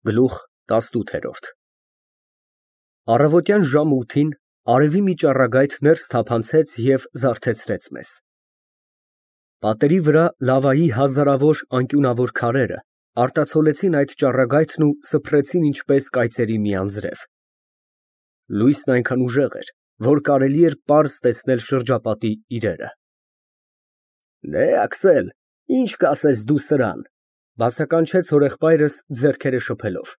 Գլուխ 18 Առավոտյան ժամը 8-ին արևի մի ճառագայթ ներս թափանցեց և զարթեցրեց մեզ։ Պատերի վրա լավայի հազարավոր անկյունավոր քարերը արտացոլեցին այդ ճառագայթն ու սփռեցին ինչպես կայծերի մի անձրև։ Լույսն այնքան ուժեղ էր, որ կարելի էր պարզ տեսնել շրջապատի իրերը։ Աքսել, ինչ կասես դու սրան, բացականչեց հորեղբայրս ձեռքերը շփելով։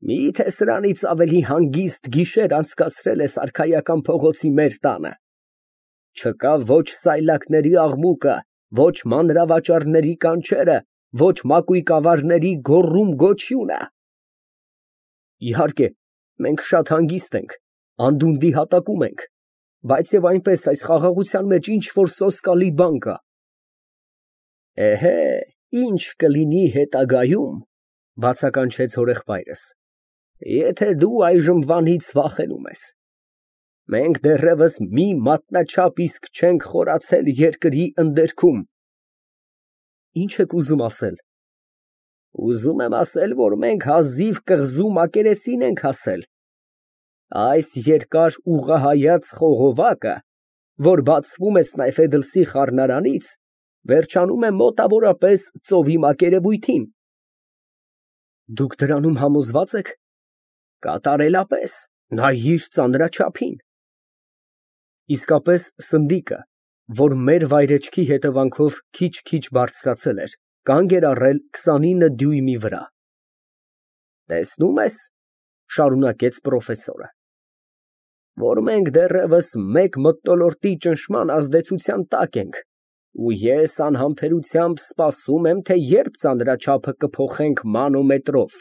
Միթե սրանից ավելի հանգիստ գիշեր անցկացրել ես արքայական փողոցի մեր տանը։ Չկա ոչ սայլակների աղմուկը, ոչ մանրավաճառների կանչերը, ոչ մակույկավարների գոռում֊գոչյունը։ Իհարկե, մենք շատ հանգիստ ենք, անդունդի հատակում ենք, բայց և այնպես այս խաղաղության մեջ ինչ֊որ սոսկալի բան կա։ Ինչ կլինի հետագայում, բացականչեց հորեղբայրս, եթե դու այժմվանից վախենում ես։ Մենք դեռևս մի մատնաչափ իսկ չենք խորացել երկրի ընդերքում։ Ինչ եք ուզում ասել։ Ուզում եմ ասել, որ մենք հազիվ կղզու մակերեսին ենք հասել։ Այս երկար ուղղահայաց խողովակը, որ բացվում է Սնայֆեդլսի խառնարանից, վերջանում է մոտավորապես ծովի մակերևույթին։ Դուք դրանում համոզվա՞ծ եք։ Կատարելապես, նայիր ծանրաչափին։ Իսկապես սնդիկը, որ մեր վայրեջքի հետևանքով քիչ-քիչ բարձրացել էր, կանգ էր առել 29 դյույմի վրա։ Տեսնում ես, շարունակեց պրոֆեսորը, որ մենք դեռևս մեկ մթնոլորտի ճնշման ազդեցության տակ ենք, ու ես անհամբերությամբ սպասում եմ, թե երբ ծանրաչափը կփոխենք մանոմետրով։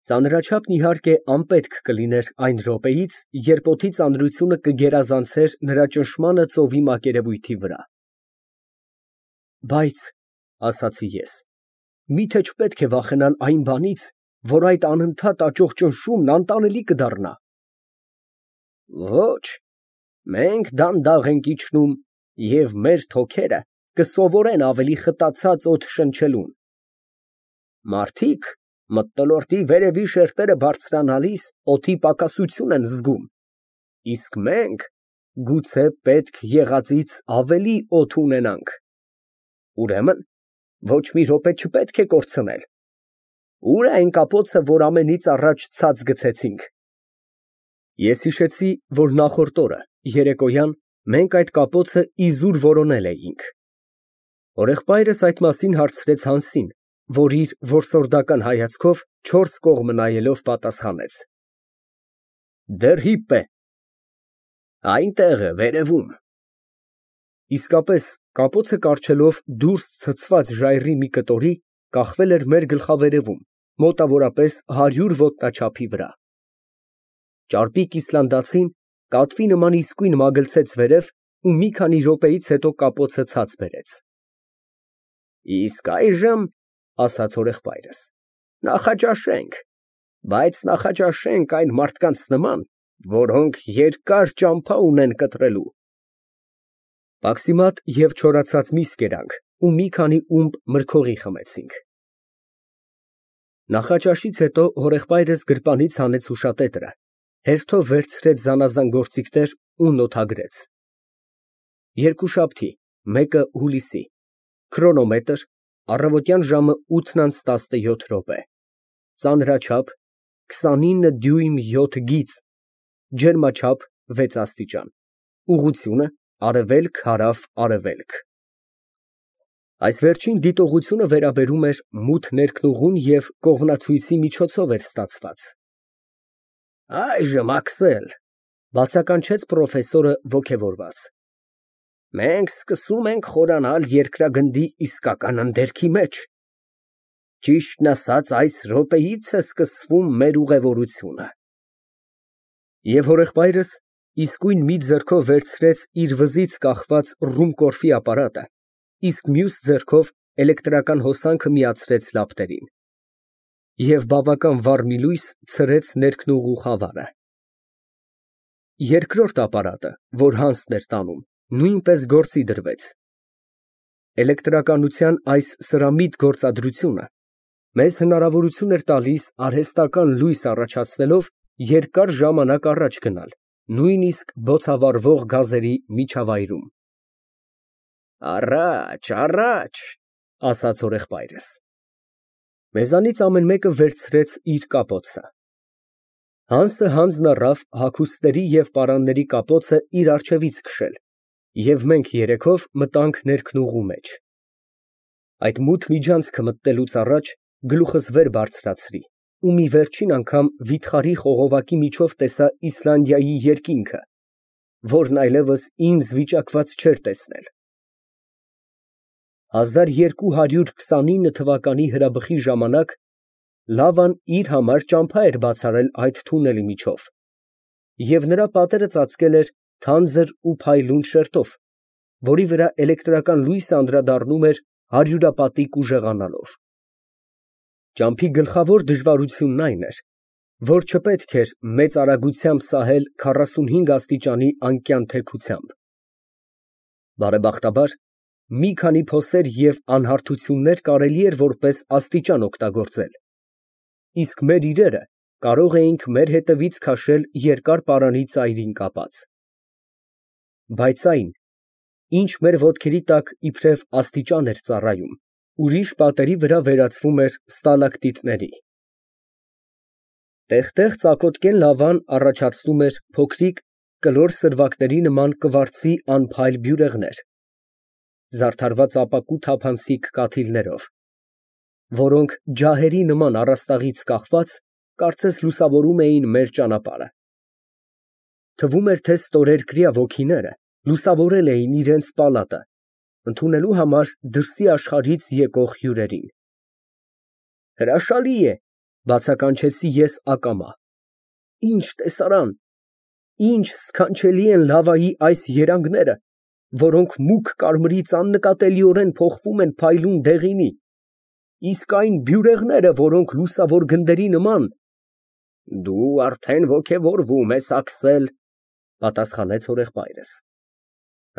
Ծանրաչափն իհարկե անպետք կլիներ այն րոպեից, երբ օդի ծանրությունը կգերազանցեր նրա ճնշմանը ծովի մակերևույթի վրա։ Բայց, ասացի ես, միթե չպետք է վախենալ այն բանից, որ այդ անընդհատ աճող ճնշումն անտանելի կդառնա։ Ոչ, մենք դանդաղ ենք իջնում, և մեր թոքերը կսովորեն ավելի խտացած օդ շնչելուն։ Մարդիկ մթնոլորտի վերևի շերտերը բարձրանալիս օդի պակասություն են զգում, իսկ մենք գուցե պետք եղածից ավելի օդ ունենանք։ Ուրեմն, ոչ մի րոպե չպետք է կորցնել։ Ո՞ւր է այն կապոցը, որ ամենից առաջ ցած գցեցինք։ Ես հիշեցի, որ նախորդ օրը, երեկոյան, մենք այդ կապոցը իզուր որոնել էինք։ Հորեղբայրս այդ մասին հարցրեց Հանսին, որ իր որսորդական հայացքով չորս կողմը նայելով պատասխանեց. Դեռ հիպ է։ Այնտեղ է, վերևում։ Իսկապես, կապոցը կառչելով դուրս ցցված ժայռի մի կտորի, կախվել էր մեր գլխավերևում, մոտավորապես 100 ոտնաչափի վրա։ Ճարպիկ իսլանդացին կատվի նման իսկույն մագլցեց վերև ու մի քանի րոպեից հետո կապոցը ցած բերեց։ Իսկ այժմ, ասաց հորեղբայրս, նախաճաշենք, բայց նախաճաշենք այն մարդկանց նման, որոնք երկար ճամփա ունեն կտրելու։ Պաքսիմատ և չորացած միս կերանք ու մի քանի ումպ մրգօղի խմեցինք։ Նախաճաշից հետո հորեղբայրս գրպանից հանեց հուշատետրը, հերթով վերցրեց զանազան գործիքներ ու նոթագրեց. Երկուշաբթի, 1 հուլիսի, քրոնոմետր, առավոտյան ժամը 8:17, ծանրաչափ 29 դյույմ 7 գիծ, ջերմաչափ 6 աստիճան, ուղղությունը արևելք-հարավ-արևելք։ Այս վերջին դիտողությունը վերաբերում էր մութ ներքնուղուն և կողմնացույցի միջոցով էր ստացված։ Այժմ, Աքսել, բացականչեց պրոֆեսորը ոգևորված, մենք սկսում ենք խորանալ երկրագնդի իսկական ընդերքի մեջ։ Ճիշտն ասած, այս րոպեից է սկսվում մեր ուղևորությունը։ Եվ հորեղբայրս իսկույն մի ձեռքով վերցրեց իր վզից կախված ռումկորֆի ապարատը, իսկ մյուս ձեռքով էլեկտրական հոսանքը միացրեց լապտերին։ Եվ բավական վառ մի լույս ցրեց ներքնուղու խավարը։ Երկրորդ ապարատը, որ Հանսն էր տանում, նույնպես գործի դրվեց։ Էլեկտրականության այս սրամիտ գործադրությունը Մեզ հնարավորություն էր տալիս արհեստական լույս առաջացնելով երկար ժամանակ առաջ գնալ, նույնիսկ բոցավառվող գազերի միջավայրում։ Առաջ, առաջ, ասաց հորեղբայրս։ Մեզանից ամեն մեկը վերցրեց իր կապոցը։ Հանսը հանձն առավ հագուստների և պարանների կապոցը իր առջևից քշել, և մենք երեքով մտանք ներքնուղու մեջ։ Այդ մութ միջանցքը մտնելուց առաջ գլուխս վեր բարձրացրի ու մի վերջին անգամ վիթխարի խողովակի միջով տեսա Իսլանդիայի երկինքը, որն այլևս ինձ վիճակված չէր տեսնել։ 1229 թվականի հրաբխի ժամանակ լավան իր համար ճամփա էր բացառել այդ թունելի միջով, և նրա պատերը ծածկել էր թանձր ու փայլուն շերտով, որի վրա էլեկտրական լույսը անդրադառնում էր հարյուրապատիկ ուժեղանալով։ Ճամփի գլխավոր դժվարությունն այն էր, որ չպետք էր մեծ արագությամբ սահել 45 աստիճանի անկյան թեքությամբ։ Բարեբախտաբար, մի քանի փոսեր և անհարթություններ կարելի էր որպես աստիճան օգտագործել, իսկ մեր իրերը կարող էինք մեր հետևից քաշել երկար պարանի ծայրին կապած։ Բայց այն, ինչ մեր ոտքերի տակ իբրև աստիճան էր ծառայում, ուրիշ պատերի վրա վերածվում էր ստալակտիտների։ Տեղ֊տեղ ծակոտկեն լավան առաջացնում էր փոքրիկ կլոր սրվակների նման կվարձի անփայլ բյուրեղներ, զարդարված ապակու թափանցիկ կաթիլներով, որոնք ջահերի նման առաստաղից կախված կարծես լուսավորում էին մեր ճանապարհը։ Թվում էր, թե ստորերկրյա ոգիները լուսավորել էին իրենց պալատը, ընդունելու համար դրսի աշխարհից եկող հյուրերին։ Հրաշալի է, բացականչեցի ես ակամա։ Ինչ տեսարան, ինչ սքանչելի են լավայի այս երանգները, որոնք մուգ կարմրից աննկատելիորեն փոխվում են փայլուն դեղինի, իսկ այն բյուրեղները, որոնք լուսավոր գնդերի նման… Դու արդեն ոգևորվում ես, Աքսել, պատասխանեց հորեղբայրս։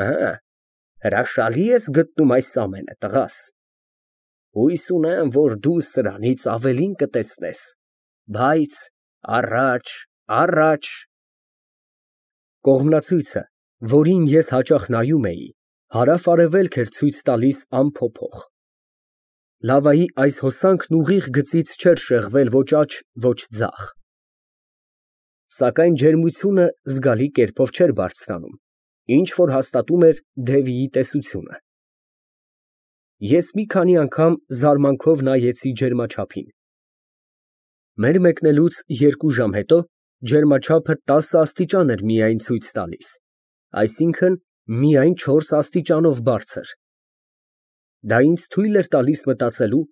Հը, հրաշալի ես գտնում այս ամենը, տղաս։ Հույս ունեմ, որ դու սրանից ավելին կտեսնես, բայց առաջ, առաջ… Կողմնացույցը, որին ես հաճախ նայում էի, հարավ֊արևելք էր ցույց տալիս անփոփոխ։ Լավայի այս հոսանքն ուղիղ գծից չէր շեղվել ոչ աջ, ոչ ձախ։ Սակայն ջերմությունը զգալի կերպով չէր բարձրանում, ինչ որ հաստատում էր Դևիի տեսությունը։ Ես մի քանի անգամ զարմանքով նայեցի ջերմաչափին։ Մեր մեկնելուց 2 ժամ հետո ջերմաչափը 10 աստիճան էր միայն ցույց տալիս, այսինքն՝ միայն 4 աստիճանով բարձր։ Դա ինձ թույլ էր տալիս մտածելու,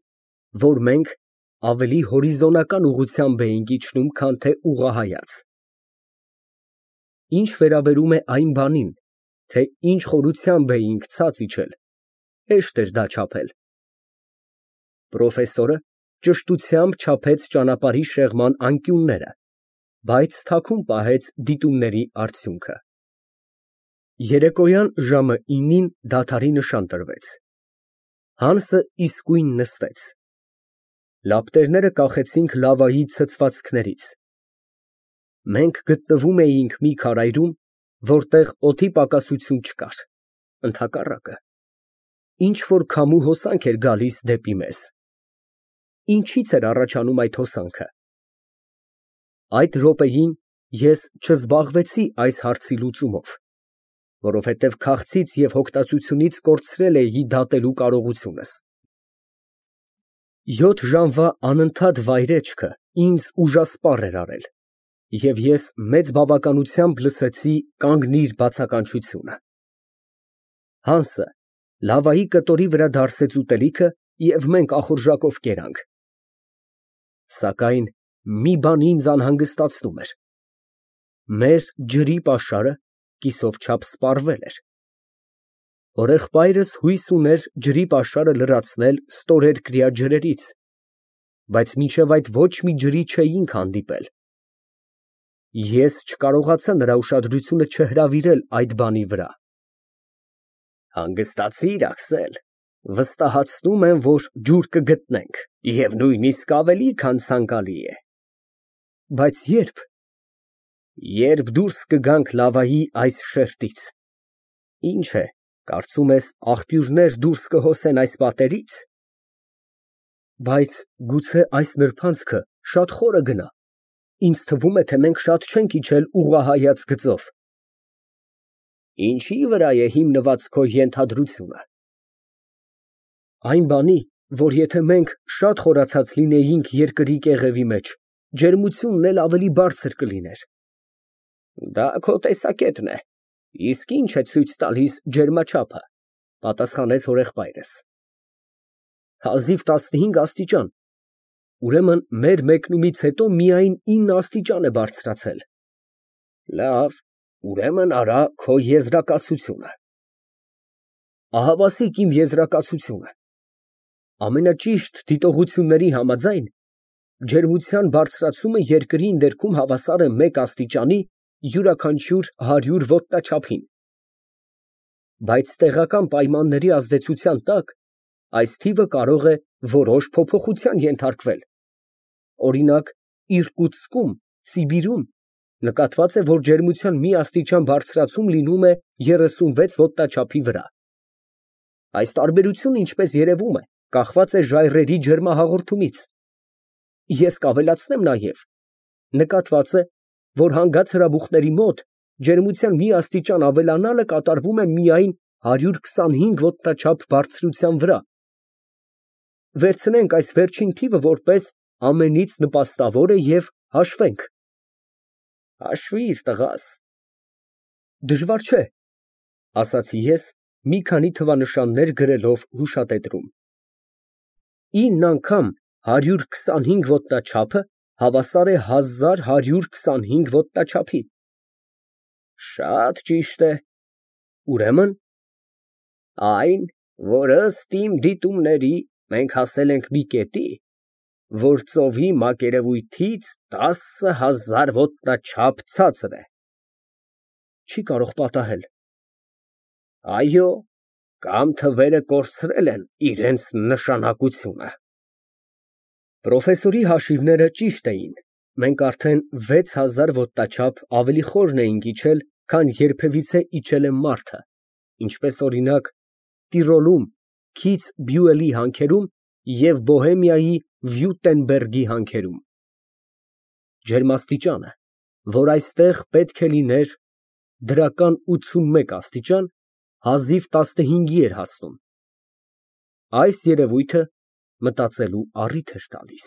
որ մենք ավելի հորիզոնական ուղղությամբ էինք իջնում, քան թե ուղղահայաց։ Ինչ վերաբերում է այն բանին, թե ինչ խորությամբ էինք ցած իջել, հեշտ էր դա չափել։ Պրոֆեսորը ճշտությամբ չափեց ճանապարհի շեղման անկյունները, բայց թաքուն պահեց դիտումների արդյունքը։ Երեկոյան ժամը 9-ին դադարի նշան տրվեց։ Հանսը իսկույն նստեց։ Լապտերները կախեցինք լավայի ցցվածքներից։ Մենք գտնվում էինք մի քարայրում, որտեղ օդի պակասություն չկար, ընդհակառակը, ինչ֊որ քամու հոսանք էր գալիս դեպի մեզ։ Ինչի՞ց էր առաջանում այդ հոսանքը։ Այդ րոպեին ես չզբաղվեցի այս հարցի լուծումով, որովհետև քաղցից և հոգտածությունից կորցրել էի դատելու կարողությունս։ 7 ժամվա անընդհատ վայրէջքը ինձ ուժասպառ էր արել, և ես մեծ բավականությամբ լսեցի «կանգնիր» բացականչությունը։ Հանսը լավայի կտորի վրա դարսեց ուտելիքը, և մենք ախորժակով կերանք։ Սակայն մի բան ինձ անհանգստացնում էր. մեր ջրի պաշարը կիսով չափ սպառվել էր։ Հորեղբայրս հույս ուներ ջրի պաշարը լրացնել ստորերկրյա ջրերից, բայց մինչև այդ ոչ մի ջրի չէինք հանդիպել։ Ես չկարողացա նրա ուշադրությունը չհրավիրել այդ բանի վրա։ Հանգստացի՞ր, Աքսել, Վստահացնում եմ, որ ջուր կգտնենք, և նույնիսկ ավելի, քան ցանկալի է։ Բայց ե՞րբ։ Երբ դուրս կգանք լավայի այս շերտից։ Ինչ է, կարծում ես, աղբյուրներ դուրս կհոսեն այս պատերից։ Բայց գուցե այս նրբանցքը շատ խորը գնա։ Ինձ թվում է, թե մենք շատ չենք իջել ուղղահայաց գծով։ Ինչի վրա է հիմնված քո ենթադրությունը։ Այն բանի, որ եթե մենք շատ խորացած լինեինք երկրի կեղևի մեջ, ջերմությունն էլ ավելի բարձր կլիներ։ Դա քո տեսակետն է, իսկ ինչ է ցույց տալիս ջերմաչափը, պատասխանեց հորեղբայրս։ Հազիվ 15 աստիճան։ Ուրեմն մեր մեկնումից հետո միայն 9 աստիճան է բարձրացել։ Լավ, ուրեմն արա քո եզրակացությունը։ Ահավասիկ իմ եզրակացությունը։ Ամենաճիշտ դիտողությունների համաձայն, ջերմության բարձրացումը երկրի ներքում հավասար է 1 աստիճանի յուրաքանչյուր 100 ոտնաչափին։ Բայց տեղական պայմանների ազդեցության տակ այս թիվը կարող է որոշ փոփոխության ենթարկվել։ Օրինակ, Իրկուտսկում, Սիբիրում նկատված է, որ ջերմության մի աստիճան բարձրացում լինում է 36 ոտնաչափի վրա։ Այս տարբերությունը, ինչպես երևում է, կախված է ժայռերի ջերմահաղորդումից։ Ես կավելացնեմ նաև, նկատված է, որ հանգած հրաբուխների մոտ ջերմության մի աստիճան ավելանալը կատարվում է միայն 125 ոտնաչափ բարձրության վրա։ Վերցնենք այս վերջին թիվը որպես ամենից նպաստավորը և հաշվենք։ Հաշվիր, տղաս։ Դժվար չէ, ասացի ես, մի քանի թվանշաններ գրելով հուշատետրում։ 9 անգամ 125 ոտնաչափը հավասար է 1125 ոտնաչափի։ Շատ ճիշտ է։ Ուրեմն այն, որ ըստ իմ դիտումների մենք հասել ենք մի կետի, որ ծովի մակերևույթից 10,000 ոտնաչափ ցածր է։ Չի կարող պատահել։ Այո, կամ թվերը կորցրել են իրենց նշանակությունը։ Պրոֆեսորի հաշիվները ճիշտ էին։ Մենք արդեն 6000 ոտնաչափ ավելի խորն էինք իջել, քան երբևիցե իջել է մարդը, ինչպես օրինակ Տիրոլում Քիցբյուելի հանքերում և Բոհեմիայի Վյուտենբերգի հանքերում։ Ջերմաստիճանը, որ այստեղ պետք է լիներ դրական 81 աստիճան, հազիվ 15-ի էր հասնում։ Այս երևույթը մտածելու առիթ էր տալիս։